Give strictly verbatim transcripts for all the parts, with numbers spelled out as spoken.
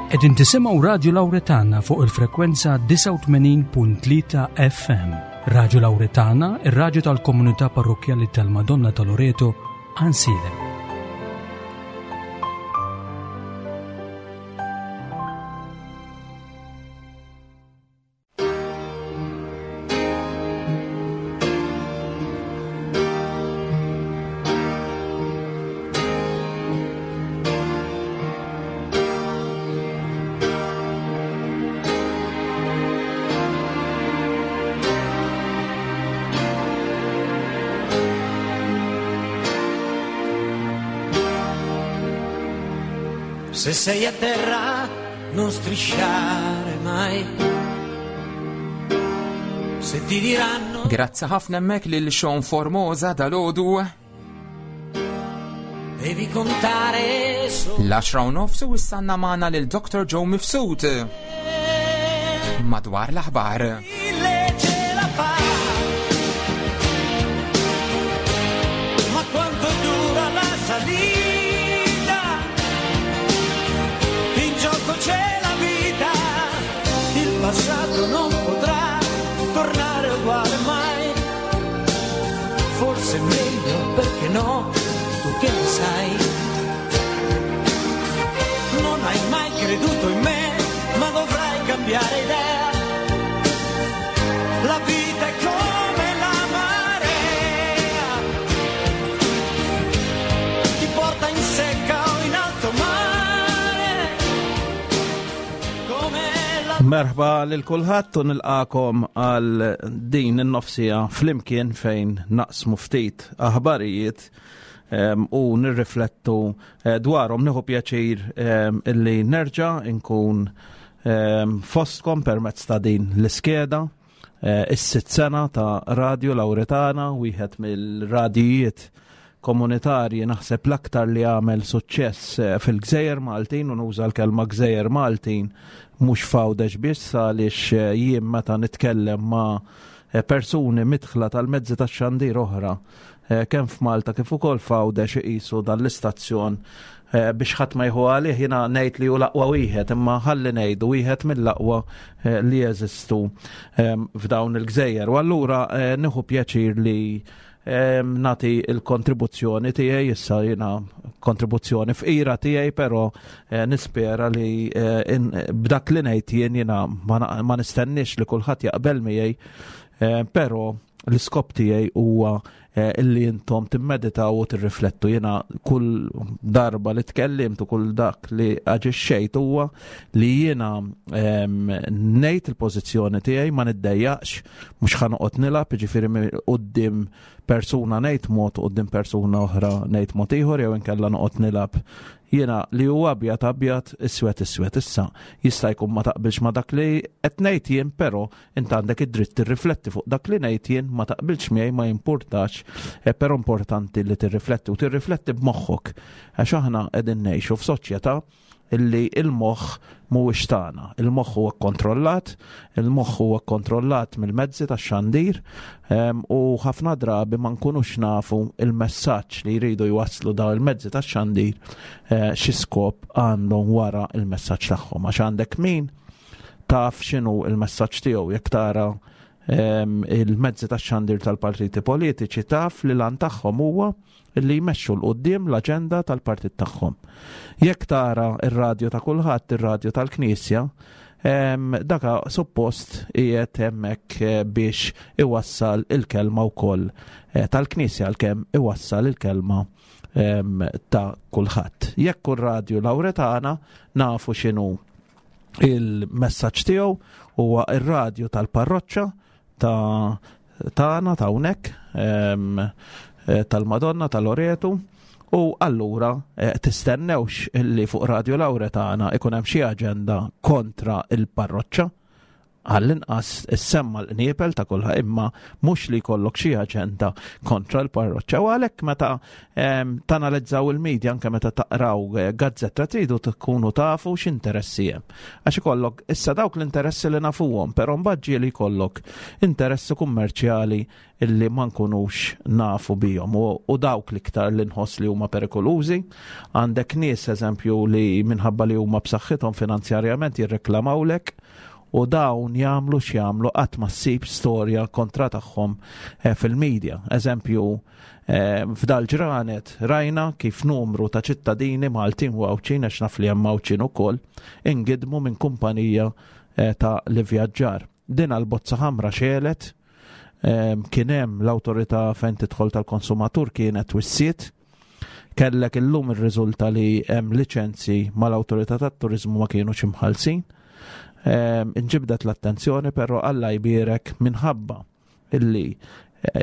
Qegħdin tisimgħu Radju Lawretana fuq il-frekwenza disgħa u tmenin punt tlieta F M. Radju Lawretana, ir-radju tal-komunità parrokkjali tal-Madonna ta' Loreto, Għajnsielem. Se sei a terra non strisciare mai. Se ti diranno Grazzi ħafna hemmhekk lil Sean Formosa dal-għodu. Devi contare solo. L-għaxra u nofs u issa għandna magħna lil Doctor Joe Mifsud. Madwar l-aħbar. Mille ce la fa. Ma quanto dura la salita? In gioco c'è la vita, il passato non potrà tornare uguale mai. Forse è meglio, perché no, tu che ne sai? Non hai mai creduto in me, ma dovrai cambiare idea. La vita è come la marea, ti porta in secca o in alto mare. Come la Merħba lil kulħadd u nilqakom għal din in-nofsija flimkien fejn naqsmu ftit aħbarijiet, em, u nirriflettu, eh, dwarhom. Nieħu pjaċir, em, illi nerġa' nkun, em, fostkom permezz ta' din l-iskeda, eh, is-sitt sena ta' Radio Lawretana, wieħed mill-radijiet komunitarji naħseb l-aktar li għamel suċċess, eh, fil-Gżejjer Maltin, u nuża l-kelma Gżejjer Maltin mhux f'Għawdex biss, għaliex, eh, jien meta nitkellem ma', eh, persuni midħla tal-mezzi tax-xandir oħra, eh, kemm f'Malta kif ukoll f'Għawdex iqisu dan l-istazzjon, eh, biex ħadd ma jieħu għalih, jiena ngħid li hu l-aqwa wieħed, imma ħalli ngħidu wieħed mill-aqwa, eh, li jeżistu, ehm, f'dawn il-gżejjer. U allura, eh, nieħu pjaċir li, ehm, nagħti l-kontribuzzjoni tiegħi, issa jiena kontribuzzjoni fqira tiegħi, però, eh, nispera li, eh, in-, b'dak li ngħid jien, jiena ma na-, ma nistennix li kulħadd jaqbel miegħi, eh, però l-iskop tiegħi huwa, eh, illi intom timmeditaw u tirriflettu. Jiena kull darba li tkellimt u kull dak li aġixxejt huwa li jiena, ehm, ngħid il-pożizzjoni tiegħi, ma niddejjaqx, mhux ħa noqgħod nilgħab, jiġifieri mi-, quddiem persuna ngħid mod, quddiem persuna oħra ngħid mod ieħor, jew inkella noqgħod nilgħab. Jiena li huwa abjad abjad, iswed iswed. Issa jista' jkun ma taqbilx ma dak li qed ngħid jien, però int għandek id-dritt tirrifletti fuq dak li ngħid jien, ma taqbilx miegħi ma jimpurtax, eh, però importanti li tirrifletti u tirrifletti b'moħħok, għax aħna qegħdin ngħixu f'soċjetà illi il-moħħ mhuwiex tagħna. Il-moħħ huwa kkontrollat, il-moħħ huwa kkontrollat mill-mezzi tax-xandir, ehm, u ħafna drabi ma nkunux nafu il-messaġġ li jridu jwasslu dawn il-mezzi tax-xandir, eh, xi skop għandhom wara il-messaġġ tagħhom. Għax għandek min taf x'inhu il-messaġġ tiegħu, jekk tara, ehm, il-mezzi tax-xandir tal-partiti politiċi taf li lan tagħhom huwa li jmexxu 'l quddiem l-aġenda tal-partit tagħhom. Jekk tara ir-radju ta' kulħadd, ir-radju tal-Knisja, em, daka suppost qiegħed hemmhekk, eh, biex iwassal il-kelma wkoll, eh, tal-Knisja, għalkemm iwassal il-kelma, em, ta' kulħadd. Jekk ir-radju Lawretana nafu x'inhu il-messaġġ tiegħu, huwa ir-radju tal-parroċċa ta' tagħna ta' hawnhekk, em, eh, tal-Madonna tal-Loretu, u allura, eh, tistennewx illi fuq Radio Lawretana ikun hemm xi aġenda kontra il-parroċċa. Għall-inqas issemma l-qniepel ta' kulħa, imma mhux li jkollok xi aġenda kontra l-parroċċa. U għalhekk meta tanalizzaw il-medja, anke meta taqraw eh, gazzetta, tridu tkunu tafu x'interessi hemm. Għax ikollok issa dawk l-interessi li nafuhom, però mbagħad ġieli jkollok interessi kummerċjali illi ma nkunux nafu bihom u, u dawk l-iktar li nħoss li huma perikolużi. Għandek nies, eżempju, li minħabba li huma b'saħħithom finanzjarjament jirreklamawlek, u dawn jagħmlu x'jagħmlu qatt ma ssib storja kontra tagħhom eh, fil-medja. Eżempju, eh, f'dal ġranet rajna kif numru ta' ċittadini Maltin u Għawdxin, għax naf li hemm Għawdxin ukoll, ingidmu minn kumpanija eh, ta' l-ivvjaġġar. Din għal-bozza ħamra xegħlet, kien hemm l-awtorità fejn tidħol tal-konsumatur kienet wissiet, kellek illum ir-riżulta li hemm liċenzji mal-awtorità tat-turiżmu ma kienux imħallsin. Inġibdet l-attenzjoni, però Alla jbierek minħabba illi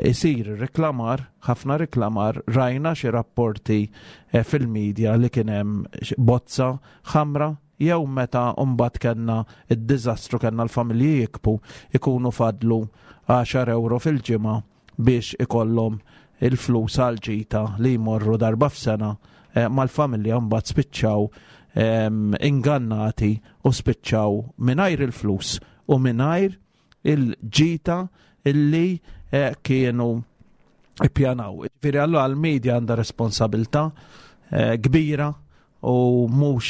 isir reklamar, ħafna reklamar, rajna xi rapporti fil-medja li kien hemm bozza ħamra, jew meta mbagħad kellna id-diżastru, kellna l-familji jikbu ikunu fadlu għaxar euro fil-ġimgħa biex ikollhom il-flus għal ġita li jmorru darba f'sena mal-familja, mbagħad spiċċaw ingannati u spiċċaw mingħajr il-flus u mingħajr il-ġita illi kienu ippjanaw. Ġifieri allura għall-medja għandha responsabilità kbira u mhux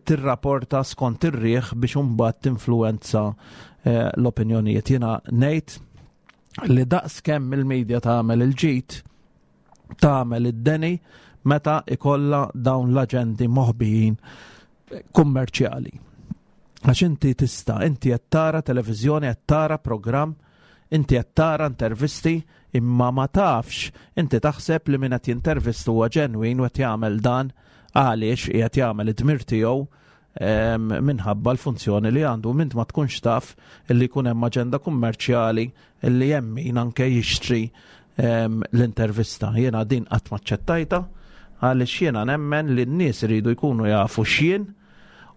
tirrapporta skont ir-riħ biex imbagħad tinfluwenza l-opinjonijiet. Jiena ngħid li daqs kemm il-medja tagħmel il-ġid, tagħmel id-deni meta ikolla dawn l-aġendi moħbijin kummerċjali. Għax inti tista', inti qed tara televiżjoni, qed tara programm, inti qed tara intervisti, imma ma tafx, inti taħseb li min qed jintervistu huwa ġenwin u qed jagħmel dan għaliex qiegħed jagħmel id-dmir tiegħu minħabba l-funzjoni li għandu, mint ma tkunx taf li jkun hemm aġenda kummerċjali li hemm min anke jixtri l-intervista. Jiena din qatt ma aċċettajta għaliex jiena nemmen li n-nies iridu jkunu jafu x'jien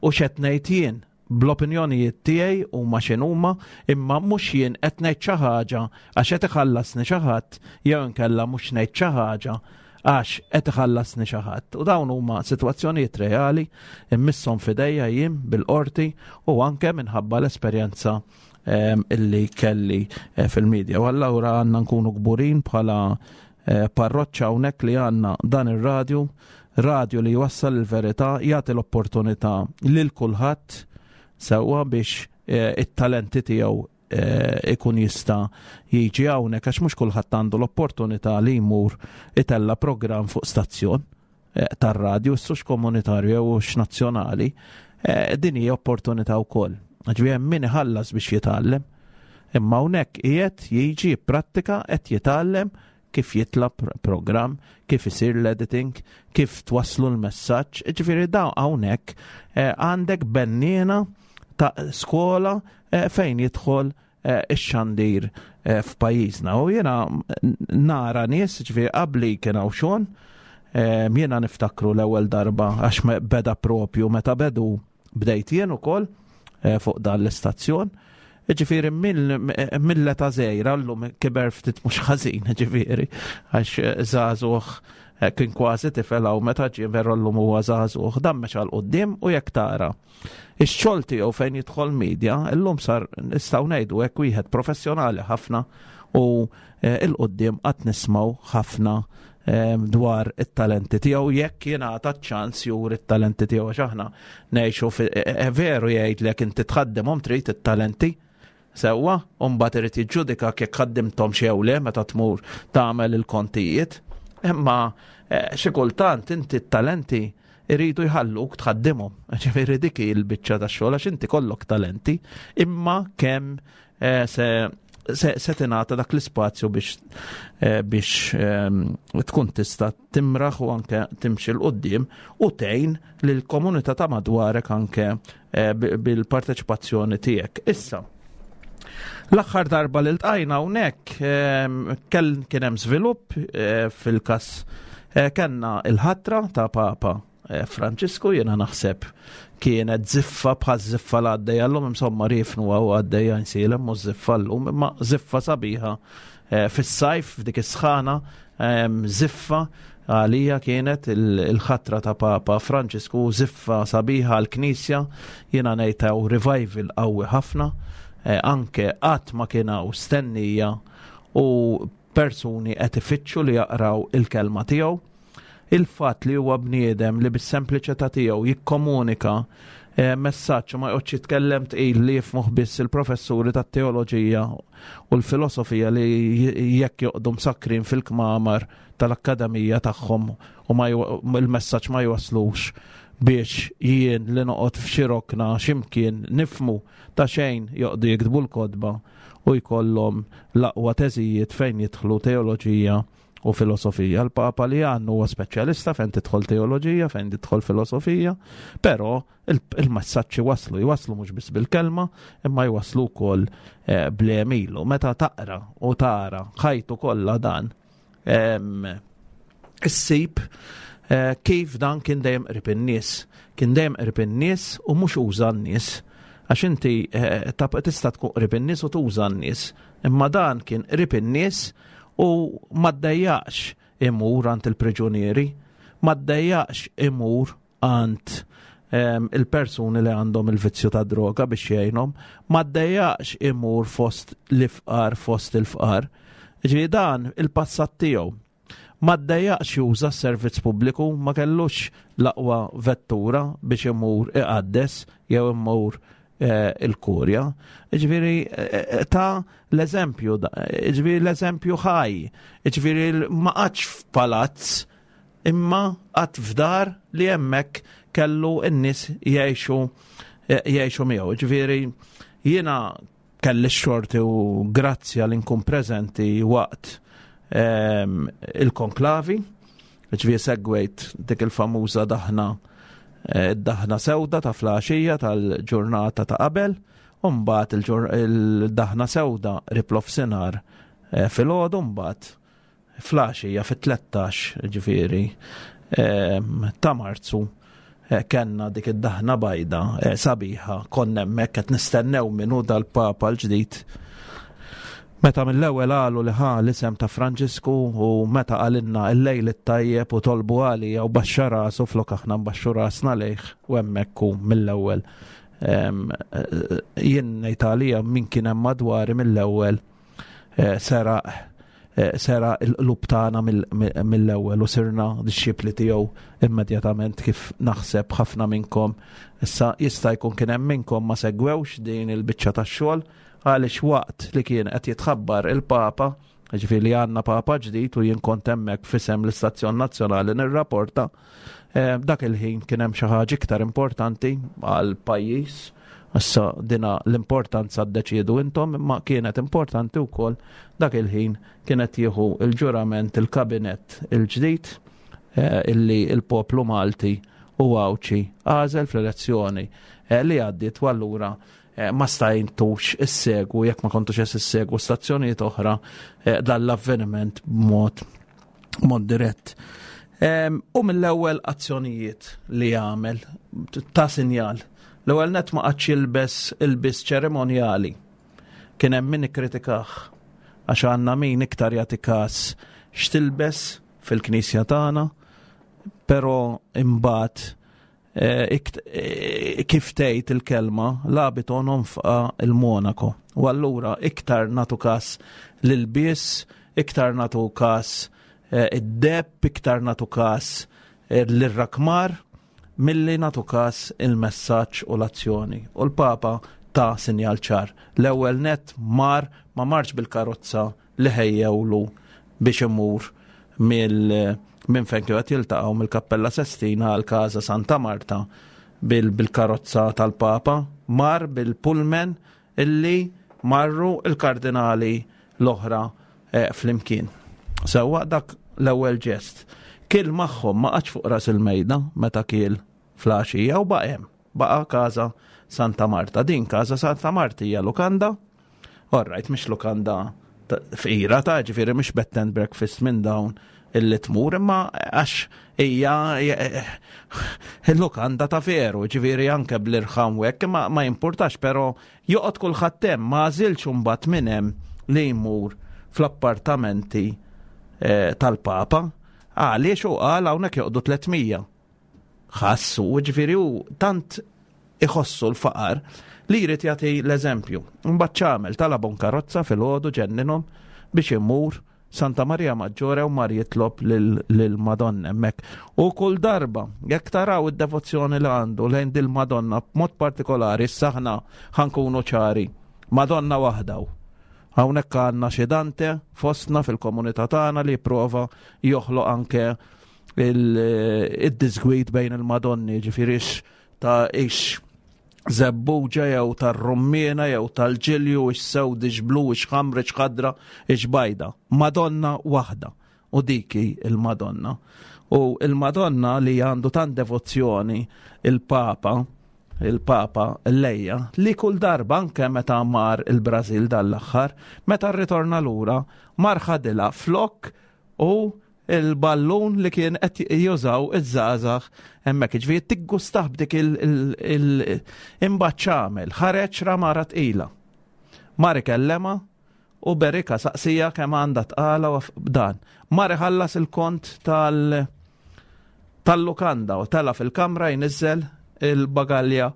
u x'qed ngħid jien bl-opinjonijiet tiegħi huma x'inhuma, imma mhux jien qed ngħid xi ħaġa għax qed iħallasni xi ħadd jew inkella mhux ngħid xi ħaġa għax qed iħallasni xi ħadd. U dawn huma sitwazzjonijiet reali immisshom f'idejja jien bil-qorti u anke minħabba l-esperjenza illi kelli fil-medja. U allura għandna nkunu kburin bħala parroċċa hawnhekk li għandna dan ir-radju, radju li jwassal il-verità, jagħti l-opportunità lil kulħadd sewwa biex it-talenti tiegħu ikun jista' jiġi hawnhekk, għax mhux kulħadd għandu l-opportunità li jmur itella' programm fuq stazzjon tar-radju, issux komunitarju jew nazzjonali, din hija opportunità wkoll. Ġifieri hemm min iħallas biex jitgħallem, imma hawnhekk qiegħed jiġi jipprattika, qed jitgħallem kif jitla' programm, kif isir l-editing, kif twasslu l-messaġġ. Ġifieri dawn hawnhekk għandek benniena ta' skola fejn jidħol ix-xandir f'pajjiżna. U jiena nara nies, ġifieri qabli kien hawn xogħol, jiena niftakru l-ewwel darba għax beda propju meta bedu bdejt jien ukoll fuq dan l-istazzjon. Ġifieri mill-età żgħira llum kiber ftit mhux ħażin, ġifieri għax żagħżugħ kien kważi tifel hawn meta ġie, veru llum huwa żagħżugħ, dan mexa 'l quddiem u jekk tara ix-xogħol tiegħu fejn jidħol media, illum sar nistgħu ngħidu hekk wieħed professjonali ħafna u 'l quddiem qatt nismgħu ħafna dwar it-talenti tiegħu jekk jingħata ċ-ċans juri t-talenti tiegħu, għax aħna ngħixu veru jgħidlek inti tħaddimhom trid it-talenti sewwa, u mbagħad irid jiġġudika jekk ħaddimthom xi jew le meta tmur tagħmel il-kontijiet. Imma xi kultant inti t-talenti iridu jħalluk tħaddimhom. Ġifieri dik hi l-biċċa tax-xogħol għax inti kollok talenti, imma kemm se se, se tingħata dak l-ispazju biex, biex tkun tista' timraħ u anke timxi 'l quddiem u tgħin lill-komunità ta' madwarek anke bil-parteċipazzjoni tiegħek. Issa, l-aħħar darba li ltqajna hawnhekk kien hemm żvilupp fil-każ, kellna il-ħatra ta' Papa eh, Franġisku. Jiena naħseb kienet ziffa bħal ziffa l għaddejja llum, insomma riefnu għaw għaddejja Għajnsielem u ziffa llum, imma ziffa sabiħa eh, fis-sajf f'dik is-sħana, ziffa għalija kienet il-ħatra ta' Papa Franġisku, ziffa sabiħa għal-Knisja. Jiena ngħid revival qawwi ħafna, eh, anke qatt ma kien hawn stennija u persuni qed ifittxu li jaqraw il-kelma tiegħu. Il-fatt li huwa bniedem li bis-sempliċità tiegħu jikkomunika eh, messaġġ, ma joqgħodx jitkellem tqil li jifhmuh biss il-professuri tat-teoloġija u l-filosofija li jekk joqogħdu msakrin fil-kmamar tal-akkademija tagħhom u ma il-messaġġ ma jwaslux biex jien li noqgħod f'xi rokna x'imkien nifhmu. Ta' xejn joqogħdu jiktbu l-kotba u jkollhom l-aqwa teżijiet fejn jidħlu teoloġija u filosofija. Il-Papa li għandu huwa speċjalista fejn tidħol teoloġija, fejn tidħol filosofija, però il-messaġġi waslu, jwaslu mhux biss bil-kelma, imma jwaslu wkoll eh, bl-għemil. Meta taqra u tara ħajtu kollha dan, issib eh, kif dan kien dejjem qrib in-nies. Kien dejjem qrib in-nies u mhux uża n-nies. Għax inti eh, tista' tkun qrib in-nies u tuża n-nies. Imma dan kien qrib in-nies u ma ddejjaqx imur għand il-priġunieri, ma ddejjaqx imur għand il-persuni li għandhom il-vizzju ta' droga biex jgħinhom, ma ddejjaqx imur fost l-ifqar, fost il-fqar. Ġifieri dan il-passat tiegħu. Ma ddejjaqx juża s-servizz pubbliku, ma kellux l-aqwa vettura biex imur iqaddes jew imur eh, il-kurja. Ġifieri eh, ta' l-eżempju, ġifieri l-eżempju ħaj, ġifieri ma qagħadx f'palazz imma qagħad f'dar li hemmhekk kellu n-nies jgħixu jgħixu miegħu. Ġifieri jiena kelli xorti u grazzja li nkun preżenti waqt ehm, il-konklavi, ġifieri segwejt dik il-famuża daħna, eh, daħna sewda ta' filgħaxija tal-ġurnata ta' qabel, u mbagħad il-daħna sewda qrib nofsinhar eh, filgħodu, mbagħad filgħaxija fit-tlettax ġifieri ehm, ta' Marzu eh, kellna dik id-daħna bajda eh, sabiħa. Konna hemmhekk qed nistennew min hu dal-Papa l-ġdid. Meta mill-ewwel qalu li ħa l-isem ta' Franġisku u meta qalilna il-lejl it-tajjeb u tolbu għalija u baxxa rasu flok aħna nbaxxu rasna lejh, u hemmhekk hu mill-ewwel, jien ngħid għalija, min kien hemm madwari mill-ewwel eh, seraq eh, seraq il-qlub tagħna mill-ewwel u sirna dixxipli tiegħu immedjatament, kif naħseb ħafna minnkom. Issa jista' jkun kien hemm minnkom ma segwewx din il-biċċa tax-xogħol, għaliex waqt li kien qed jitħabbar il-Papa, ġifieri li għandna Papa ġdid, u jien kont hemmhekk f'isem l-Istazzjon Nazzjonali nirrapporta, eh, dak il-ħin kien hemm xi ħaġa iktar importanti għal pajjiż. Issa dina l-importanza ddeċiedu intom, imma kienet importanti wkoll. Dak il-ħin kienet jieħu il-ġurament il-kabinet il-ġdid eh, illi il-poplu Malti u Għawdxi għażel fl-elezzjoni eh, li għaddiet, u allura ma stajtux issegwu, jekk ma kontux issegwu stazzjonijiet oħra, dal-avveniment b'mod mod dirett. U mill-ewwel azzjonijiet li għamel ta' sinjal. L-ewwel net ma qagħadx jilbes ilbies ċerimonjali. Kien hemm min ikkritikah għax għandna min iktar jagħti każ x'tilbes fil-knisja tagħna, però imbagħad eh, eh, kif tgħid il-kelma, l'abito non fa il monaco. U allura iktar nagħtu każ l-ilbies, iktar nagħtu każ eh, id-deheb, iktar nagħtu każ l-rakmar, milli nagħtu każ il-messaġġ u l-azzjoni. U l-Papa ta' sinjal ċar. L-ewwel net mar ma marx bil-karozza li ħejjewlu biex imur mill minn fejn kienu qed jiltaqgħu, mill-Kappella Sestina għal Casa Santa Marta, bil-karozza tal-Papa, mar bil-pullman illi marru il-kardinali l-oħra eh, flimkien. Sewwa, dak l-ewwel ġest. Kiel magħhom, ma qagħadx fuq ras il-mejda meta kiel filgħaxija u baqa' hemm. Baqa' Casa Santa Marta. Din Casa Santa Marta hija lukanda. Alright, mhix lukanda fqira ta', ġifieri mhix bed and breakfast minn dawn Illi tmur, imma għax hija il-lukanda ta' veru, ġifieri anke bl-irħam u hekk, ma, ma jimpurtax, però joqgħod kulħadd hemm, ma għażilx imbagħad minn hemm li jmur fl-appartamenti eh, tal-Papa. Għaliex u qal hawnhekk joqogħdu tliet mija. Ħassu, ġifieri u tant iħossu l-faqar li jrid jagħti l-eżempju. Mbagħad x'għamel? Talabhom karozza filgħodu, ġenninhom biex imur Santa Maria Maggiore u mar jitlob lil-Madonna hemmhekk. U kull darba, jekk taraw id-devozzjoni li għandu lejn dil-Madonna, b'mod partikolari, saħna ħa nkunu ċari, Madonna waħda. Hawnhekk għandna xi Dante fostna fil-komunità tagħna li jipprova joħloq anke il-disgwid bejn il-Madonni, ġifieri ta' ix żebbuġa jew tar-rummiena jew tal-ġilju, ix sewd, ix blu, ix ħamra, ix ħadra, ix bajda. Madonna waħda u diki il-Madonna. U il-Madonna li għandu tant devozzjoni il-Papa, il-Papa lejha, li kull darba, anke meta mar il-Brazil dal-aħħar, meta rritorna lura, mar ħadilha flok u il-ballun li kien qed jużaw iż-żgħażagħ hemmhekk. Ġifieri tiggustah b'dik il-imbagħad x'għamel? Ħareġ ra mara tqila. Mar ikellema u berika, saqsija kemm għandha tqala u dan. Mar iħallas il-kont tal- tal-lukanda u tela fil-kamra jniżżel il-bagalja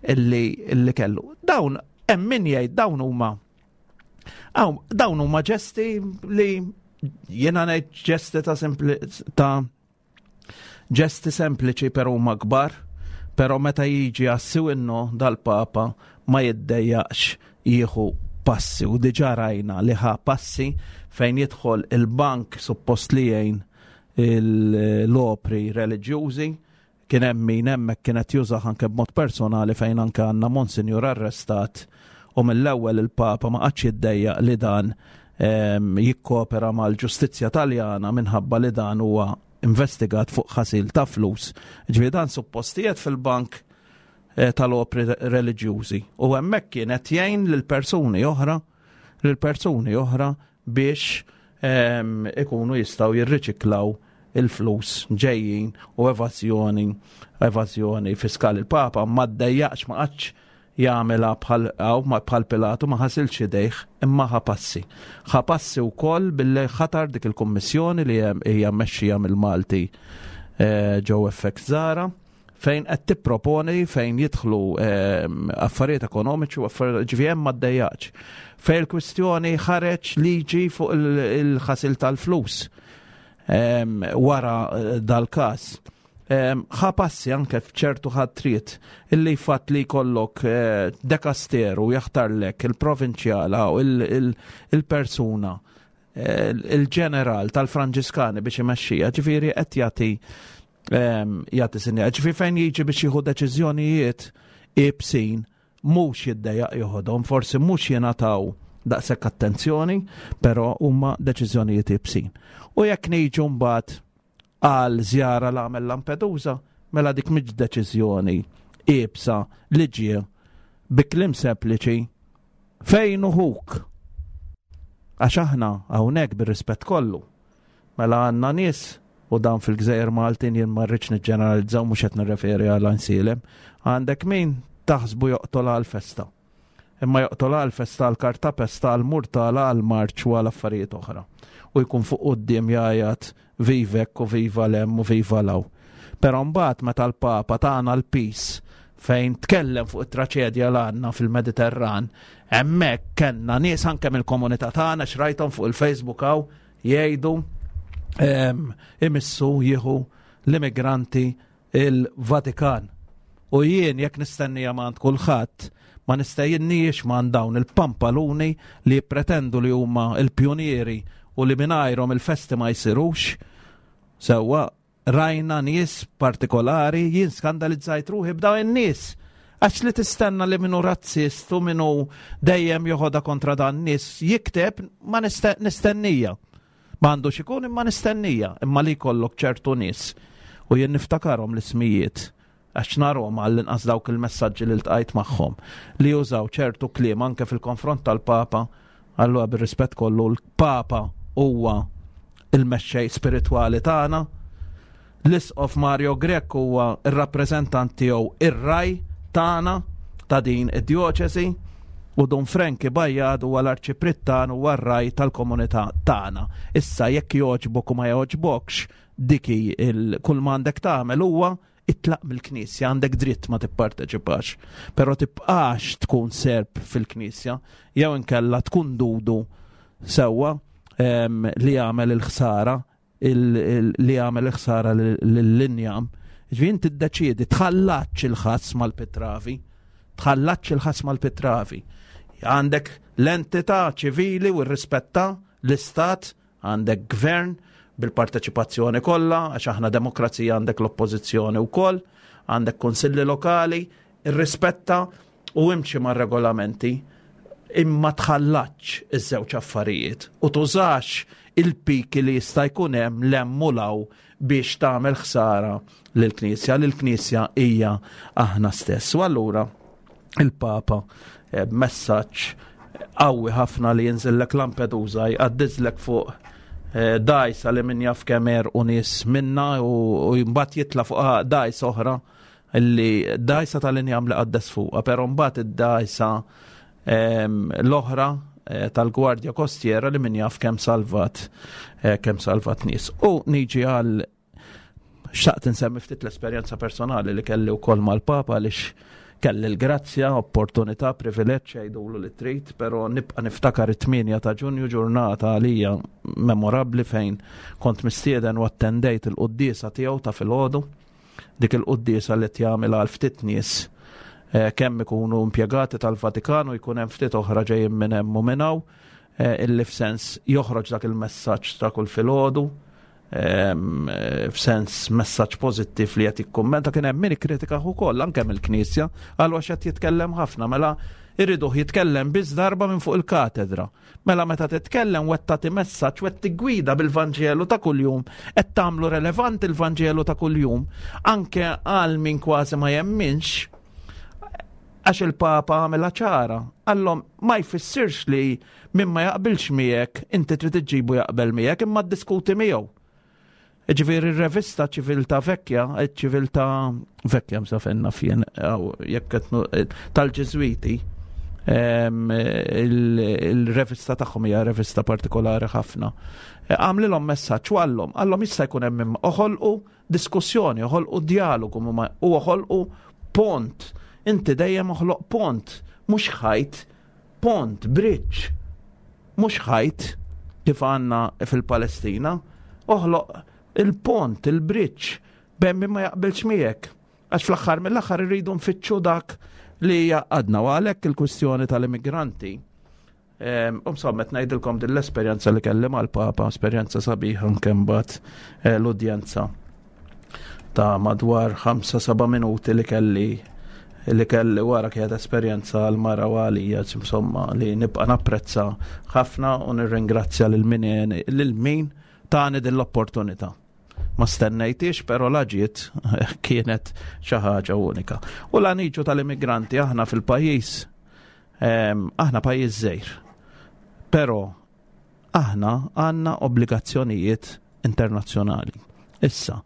illi, illi kellu. Dawn, hemm min jgħid dawn huma dawn huma ġesti li jiena ngħid ġesti ta' sempli, ta' ġesti sempliċi però huma kbar, però meta jiġi għas-siwinno dal-Papa ma jiddejjaqx jieħu passi u diġà rajna li ħa passi fejn jidħol il-bank suppost li jgħin l-opri reliġjużi. Kien hemm min hemmhekk kienet jużah anke b'mod personali, fejn anke għandna Monsinjur arrestat u mill-ewwel il-Papa ma qatx jiddejjaq li dan jikkopera mal-ġustizzja Taljana minħabba li dan huwa investigat fuq ħasil ta' flus. Ġifieri dan suppostijiet fil-bank eh, tal-opri reliġjużi u hemmhekk kienet jgħin lil persuni oħra lil persuni oħra biex ikunu jistgħu jirriċiklaw il-flus ġejjin u evażjoni evażjoni fiskali. Il-Papa ma ddejjaqx, ma qatx jagħmilha bħal ma bħal Pilatu, ma ħasilx idejh, imma ħa passi. Ħa passi wkoll billi ħatar dik il-kummissjoni li hija mmexxija mill-Malti eh, Joe F X Zara, fejn qed tipproponi fejn jidħlu eh, affarijiet ekonomiċi u affarijiet, ġifieri ma ddejjaqx. Fejn il-kwistjoni ħareġ liġi fuq il-ħasil tal-flus wara eh, dal-każ. Ħa passi anke f'ċertu ħatriet illi fatt li jkollok eh, dekasteru jaħtarlek il-provinċjala u il-persuna eh, il-ġeneral tal-Franġiskani biex imexxija, ġifieri qed jagħti jagħti sinjal. Ġifieri fejn jiġi biex jieħu deċiżjonijiet ibsin mhux jiddejjaq joħodhom, forsi mhux jingħataw daqshekk attenzjoni, però huma deċiżjonijiet ibsin. U jekk niġu mbagħad għal żjara l għamel Lampedusa, mela dik mhix deċiżjoni iebsa li ġie bi kliem sempliċi fejn uħuk? Għax aħna hawnhekk, bir-rispett kollu, mela għandna nies u dan fil-Gżejjer Maltin, jien ma rridx niġġeneralizzaw, mhux qed nirreferi għal Għajnsielem, għandek min taħsbu joqtol għal festa. Imma joqtol għal festa, għal kartapesta, għal murtala, għal marċ u għal affarijiet oħra. U jkun fuq quddiem jgħajjat vivek u viva lem u viva law. Però mbagħad meta l-Papa tagħna l-peace fejn tkellem fuq it-traċedja l għandna fil-Mediterran, hemmhekk kellna nies anke mill-komunità tagħna xrajthom fuq il-Facebook hawn jgħidu imissu jieħu l-immigranti il-Vatikan. U jien jekk nistennija ma' kulħadd, ma nistejinniex ma' dawn il-pampaluni li pretendu li huma il-pjonieri u li mingħajrhom il-festi ma jsirux. Sewwa rajna nies partikolari, jien skandalizzajt ruħi b'dawn in-nies. Għax li tistenna li minnu razzist u minnu dejjem joħodha kontra dan nies jikteb, ma nistennija. Ma għandux ikun, imma nistennija, imma li jkollok ċertu nies u jien niftakarhom l-ismijiet għax narhom, għall-inqas dawk il-messaġġi li ltqajt magħhom, li jużaw ċertu kliem anke fil-konfront tal-Papa, allura bir-rispett kollu l-Papa huwa il-mexxej spiritwali tagħna. L-Isqof Mario Grech huwa ir-rappreżentant tiegħu, ir-ragħaj tagħna ta' din id-djoċesi, u Dun Frankie Bajjad huwa l-arċipriet tagħna u r-ragħaj tal-komunità tagħna. Issa jekk jogħġbok u ma jogħġbokx, dik kull m'għandek tagħmel huwa itlaq mill-Knisja, għandek dritt ma tipparteċipax, però tibqax tkun serp fil-Knisja, jew inkella tkun dudu sewwa li jagħmel il-ħsara, li jagħmel il-ħsara lill-injam. Ġifieri inti tiddeċiedi, tħallatx il-ħass mal-pitravi, tħallatx il-ħass mal-pitravi. Għandek l-entità ċivili u rrispetta l-istat, għandek gvern bil-parteċipazzjoni kollha, għax aħna demokrazija, għandek l-oppożizzjoni wkoll, għandek konsilli lokali, irrispetta u imxi mar-regolamenti, imma tħallatx iż-żewġ affarijiet u tużax il-piki li jista' jkun hemm 'l hemm u 'l hawn biex tagħmel ħsara lill-Knisja. Lill-Knisja hija aħna stess. U allura il-Papa eh, messaġġ qawwi ħafna li jinżillek Lampedusa, jqaddizlek fuq eh, dgħajsa li min jaf kemm u nies minna u mbagħad jitla' fuq dgħajsa oħra, li dgħajsa tal-injam li qaddes fuqha, però mbagħad id-dgħajsa l-oħra eh, tal-Gwardja Kostiera li min jaf kemm salvat eh, kemm salvat nies. U niġi għal xtaqt insemmi ftit l-esperjenza personali li kelli wkoll mal-Papa, għaliex kelli l-grazzja, opportunità, privileġġ, jgħidulu li trid, però nibqa' niftakar it-tmienja ta' Ġunju, ġurnata għalija memorabbli fejn kont mistieden u attendejt il-quddiesa tiegħu ta' filgħodu, dik il-quddiesa li tjagħmel għal ftit nies eh, kemm ikunu impjegati tal-Vatikanu, jkun hemm ftit oħra ġejjin minn hemm u minn hawn, eh, illi f'sens joħroġ dak il-messaġġ ta' kull filgħodu, eh, f'sens messaġġ pożittiv li qed jikkummenta. Kien hemm min ikkritika ukoll anke mill-Knisja, għal għax qed jitkellem ħafna, mela irriduh jitkellem biss darba minn fuq il-katedra. Mela meta titkellem u qed tagħti messaġġ u qed tiggwida bil-Vanġelu ta' kuljum, qed tagħmlu relevanti il-Vanġelu ta' kuljum anke għal min kważi ma jemminx, għax il-Papa għamilha ċara. Għallhom ma jfissirx li min ma jaqbilx miegħek inti trid iġġibu jaqbel miegħek, imma ddiskuti miegħu. Ġifieri r-revista Ċiviltà Vecchia, Ċiviltà Vecchia msafenna fjen, jekk tal-Ġiżwiti, il-revista tagħhom hija revista partikolari ħafna. Għamlilhom messaġġ u għallhom, għallhom jista' jkun hemm oħolqu diskussjoni, oħolqu dialogu u oħolqu pont. Inti dejjem oħloq pont, mhux ħajt, pont, bridge, mhux ħajt kif għandna fil-Palestina, oħloq il-pont, il-bridge, bejn min ma jaqbilx miegħek. Għax fl-aħħar mill-aħħar irridu nfittxu dak li għadna u għalhekk il-kwistjoni tal-immigranti. Insomma, ngħidilkom din l-esperjenza li kelli mal-Papa, esperjenza sabiħa anke mbagħad eh, l-udjenza ta' madwar ħamsa seba' minuti li kelli li kelli wara kienet esperjenza għal mara u għalija, insomma, li nibqa' napprezza ħafna u nirringrazzja lil min lil min tani din l-opportunità. Ma stennejtix, pero la ġiet kienet xi ħaġa unika. U la niġu tal-immigranti, aħna fil-pajjiż, aħna pajjiż żgħir. Però aħna għandna obbligazzjonijiet internazzjonali. Issa,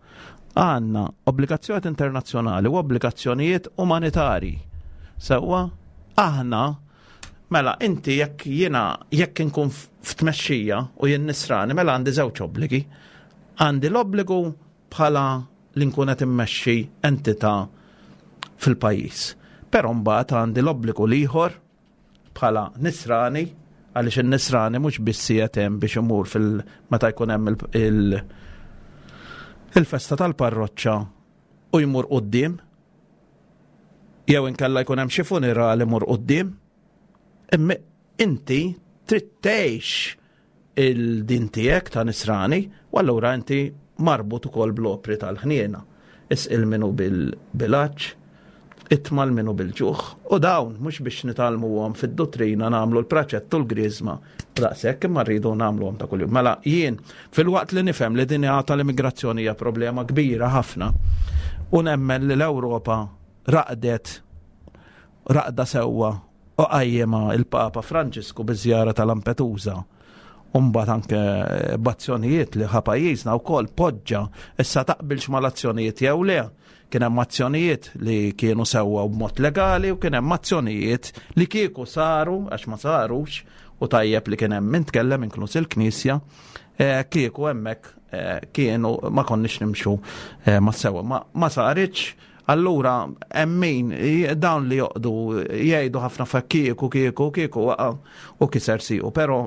għandna obbligazzjonijiet internazzjonali u obbligazzjonijiet umanitari. Sewwa, aħna mela inti jekk jiena jekk inkun f'tmexxija u jien nisrani, mela għandi żewġ obbligi. Għandi l-obbligu bħala li nkun qed immexxi entità fil-pajjiż. Però mbagħad għandi l-obbligu l-ieħor bħala nisrani, għaliex in-nisrani mhux biss qiegħed hemm biex imur fil meta jkun hemm il- il-festa tal-parroċċa u jmur quddiem, jew inkella jkun hemm xi funeral imur quddiem. Imma inti trid tgħix il-din tiegħek ta' nisrani u allura inti marbut ukoll bl-opri tal-ħniena. Isqi 'l min hu bil-għatx, itma' 'l min hu bil-ġuħ. U dawn mhux biex nitgħallmuhom fid-dottrina, nagħmlu l-praċettu, l-griżma, daqshekk, imma rridu nagħmluhom ta' kuljum. Mela jien filwaqt li nifhem li din tal-immigrazzjoni hija problema kbira ħafna u nemmen li l-Ewropa raqdet raqda sewwa u qajjimha il-Papa Franġisku biż-żjara ta' Lampedusa. U mbagħad anke b'azzjonijiet li ħa pajjiżna wkoll poġġa, issa taqbilx mal-azzjonijiet jew le, kien hemm azzjonijiet li kienu sewwa b'mod legali u kien hemm azzjonijiet li kieku saru, għax ma sarux, u tajjeb li kien hemm min tkellem, inkluż il-Knisja, eh, kieku hemmhekk eh, kienu ma konniex nimxu eh, ma sewwa. Ma, ma saritx. Allura hemm min dawn li joqdu jgħidu ħafna fa kieku kieku kieku waqa' u kiser siqu, però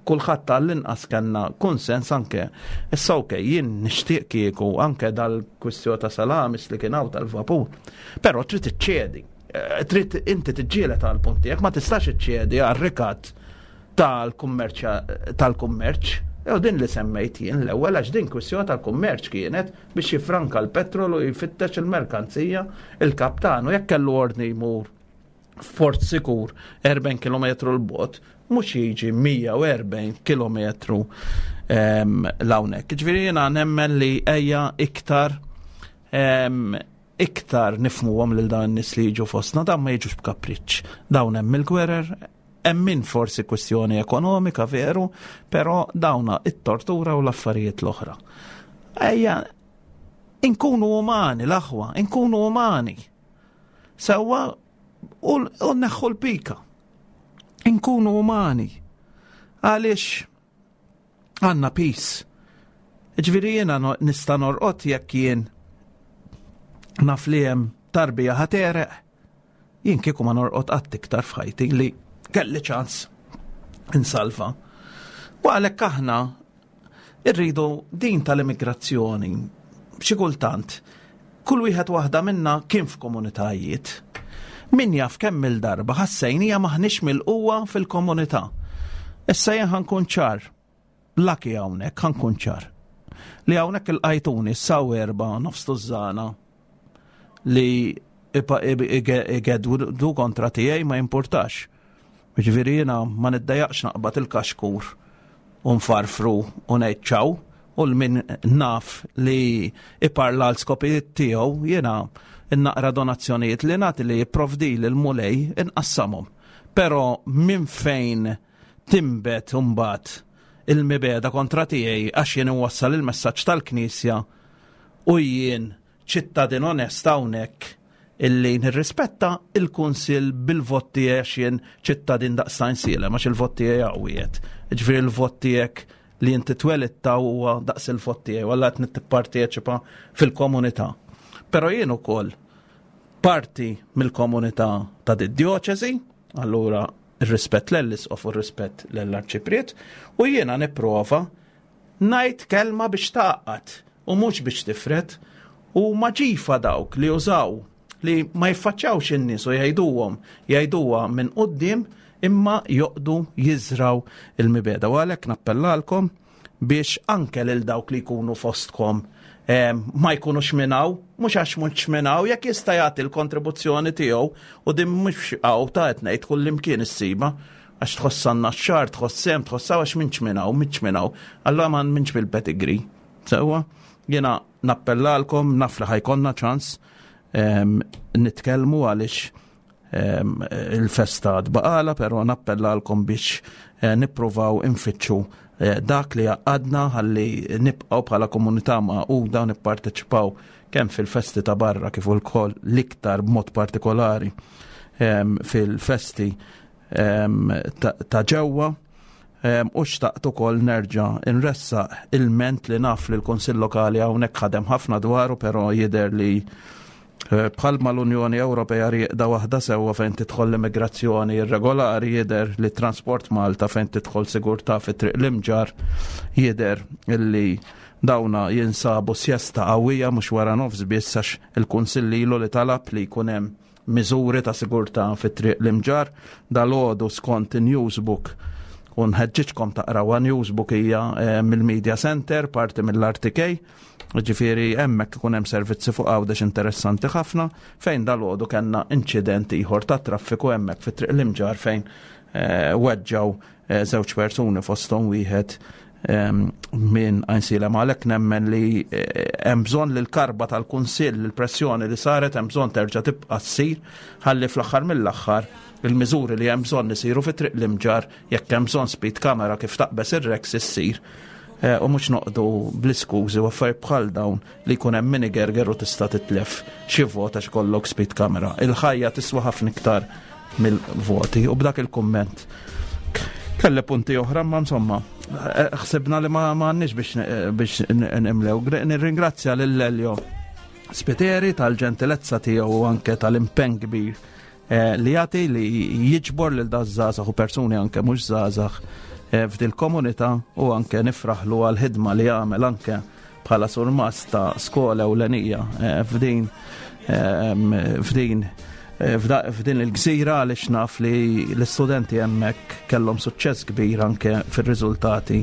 kulħadd tal-inqas kellna konsens anke. Issa okej, jien nixtieq kieku anke dal-kwistjoni ta' Salamis li kien hawn tal-vapur. Però trid iċċedi. Eh, Trid inti tiġġieled għal punt tiegħek, ma tistax iċċedi għal rikat tal-kummerċ tal-kummerċ. Jew din li semmejt jien l-ewwel, għax din kwistjoni tal-kummerċ kienet biex jifranka l-petrol u jfittex il-merkanzija il-kaptan, u jekk kellu ordni jmur f'port sikur erbgħin kilometru 'l bogħod, mhux jiġi mija u erbgħin kilometru 'l hawnhekk. Ġifieri jiena nemmen li ejja iktar em, iktar nifhmuhom lil dawn in-nies li jiġu fostna, dawn ma jiġux b'kapriċċ. Dawn hemm il-gwerer, hemm min forsi kwestjoni ekonomika veru, però dawna it-tortura u l-affarijiet l-oħra. Ejja, inkunu umani l-aħwa, inkunu umani. Sewwa u u neħħu l-pika. Inkunu umani. Għaliex għandna peace. Ġifieri jiena no- nista' norqod jekk jien naf li hemm tarbija ħa tegħreq. Jien kieku ma norqod qatt iktar f'ħajti li kelli ċans insalva. U għalhekk aħna irridu din tal-immigrazzjoni, xi kultant kull wieħed waħda minna kien f'komunitajiet. Min jaf kemm il-darba ħassejnija maħniex mill-qwa fil-komunità. Issa jien ħa nkun ċar, laki hawnhekk ħa nkun ċar. Li hawnhekk il-qajtuni saw erba' nofs tużżana li igeddu kontra tiegħi ma importax. Ġifieri jiena ma niddejjaqx naqbad il-kaxkur u nfarfru u ngħid ċaw, u l-min naf li iparla l-skopijiet tiegħu, jiena innaqra donazzjonijiet li nagħti li jipprovdi l-Mulej inqassamhom. Però minn fejn timbet imbagħad il-mibegħda kontra tiegħi għax jien inwassal il-messaġġ tal-Knisja u jien ċittadin onest hawnhekk illi nirrispetta il-kunsil bil-vot tiegħi, għax jien ċittadin daqs Għajnsielem, għax il-vot tiegħi għawiet. Ġifieri il-vot tiegħek li inti twelitta huwa daqs il-vot tiegħi, walla qed nipparteċipa fil-komunità. Però jien ukoll parti mill-komunità ta' did-djoċesi, allura ir-rispett l-isqof u r-rispett l-arċipriet, u jiena nipprova ngħid kelma biex tgħaqqad u mhux biex tifred, u maġifa dawk li użaw li ma jiffaċċawx in-nies u jgħiduhom jgħiduha minn quddiem imma joqdu jiżraw il-mibegħda. U għalhekk nappellalkom biex anke lil dawk li jkunu fostkom eh, ma jkunux minnaw, mhux għax mhux minnaw, jekk jista' jagħti l-kontribuzzjoni tiegħu, u din mhux hawn ta' qed ngħid, kullimkien issiba, għax tħossanna x-xar, tħossem, tħossaw għax minx minnaw, minx minnaw. Allora ma minx bil-pedigree. Sewwa, jiena nappellalkom, naf li ħa jkollna ċans em, nitkellmu għaliex em, il-festa tbaqala, pero nappellalkom biex eh, nippruvaw infittxu eh, dak li għadna ħalli nibqgħu bħala komunità magħquda, nipparteċipaw kemm fil-festi ta' barra kif ukoll l-iktar b'mod partikolari em, fil-festi em, ta' ta' ġewwa. Em, U xtaqt ukoll nerġa' nressaq il-ment li naf li l-Kunsill Lokali hawnhekk ħadem ħafna dwaru, però jidher li eh, bħalma l-Unjoni Ewropea rieqda waħda sewwa fejn tidħol l-immigrazzjoni irregolari, jidher li Transport Malta fejn tidħol sigurtà fi Triq l-Imġar jidher illi dawna jinsabu sjesta qawwija, mhux wara nofs biss, għax il-Kunsill ilu li talab li jkun hemm miżuri ta' sigurtà fi Triq l-Imġar. Dalgħodu skont Newsbook, u nħeġġiġkom taqraw Newsbook, hija eh, mill-Media Center, parti mill-R T K, ġifieri hemmhekk ikun hemm servizzi fuq Għawdex interessanti ħafna, fejn dalgħodu kellna inċident ieħor ta' traffiku hemmhekk fi Triq l-Imġar fejn eh, weġġaw eh, żewġ persuni, fosthom wieħed minn Għajnsielem. Għalhekk nemmen li eh, hemm bżonn li l-karba tal-Kunsill, il-pressjoni li saret, hemm bżonn terġa' tibqa' ssir ħalli fl-aħħar mill-aħħar il-miżuri li hemm bżonn isiru fi Triq l-Imġarr, jekk hemm bżonn speed camera kif taqbeż ir-Rex issir eh, u mhux noqogħdu bl-iskużi u affarijiet bħal dawn li jkun hemm min igerger u tista' titlef xi vot għax kollok speed camera. Il-ħajja tiswa ħafna iktar mill-voti u b'dak il-kumment kelli punti oħra, ma insomma, eh, ħsibna li ma għandniex biex biex nimlew. Nirringrazzja lil Elio Spiteri tal-ġentilezza tiegħu u anke tal-impenn kbir eh, li jagħti li jiġbor lil daż-żgħażagħ u persuni anke mhux żgħażagħ eh, f'dil komunità u anke nifraħlu għal-ħidma li jagħmel anke bħala surmast ta' skola ewlenija f'din f'din f'din il-gżira, għaliex naf li l-istudenti hemmhekk kellhom suċċess kbir anke fir-riżultati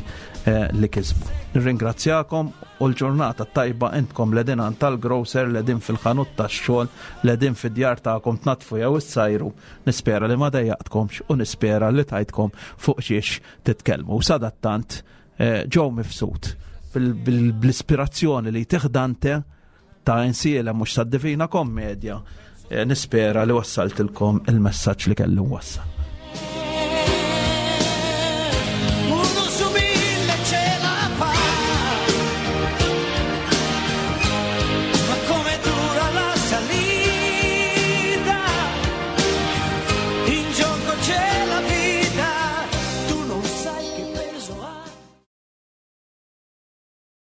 eh, li kisbu. Nirringrazzjakom u l-ġurnata tajba. Intkom qegħdin tal-grocer, qegħdin fil-ħanut tax-xogħol, qegħdin fid-djar tagħkom tnaddfu jew issajru. Nispera li ma dejjaqtkomx u nispera li tajtkom fuq xiex titkellmu. Sadattant eh, Joe Mifsud bl-ispirazzjoni li tih Dante ta' Għajnsielem mhux tad-Divina Kommedja. Eh, nispera li wassaltilkom il-messaġġ li kelli wassal.